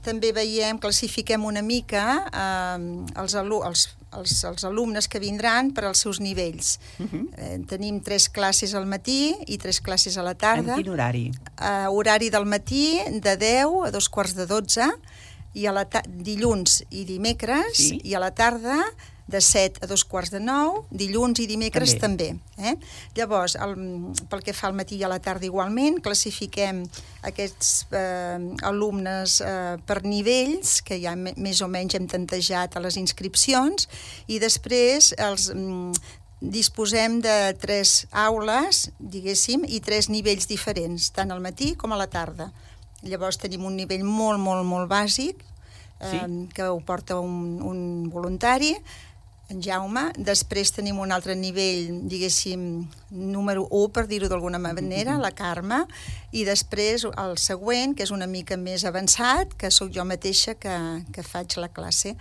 també classifiquem una mica els alumnes que vindran per als seus nivells. Tenim 3 classes al matí i 3 classes a la tarda. En quin horari? Horari del matí de 10 a 2:45, i dilluns i dimecres, i a la tarda de 7 a 2:45, dilluns i dimecres també. Llavors, pel que fa al matí i a la tarda igualment, classifiquem aquests alumnes per nivells, que ja més o menys hem tantejat a les inscripcions, i després disposem de 3 aules, diguéssim, i 3 nivells diferents, tant al matí com a la tarda. Llavors tenim un nivell molt, molt, molt bàsic, que ho porta un voluntari, en Jaume. Després tenim un altre nivell, diguéssim, número 1, per dir-ho d'alguna manera, la Carme, i després el següent, que és una mica més avançat, que sóc jo mateixa que faig la classe.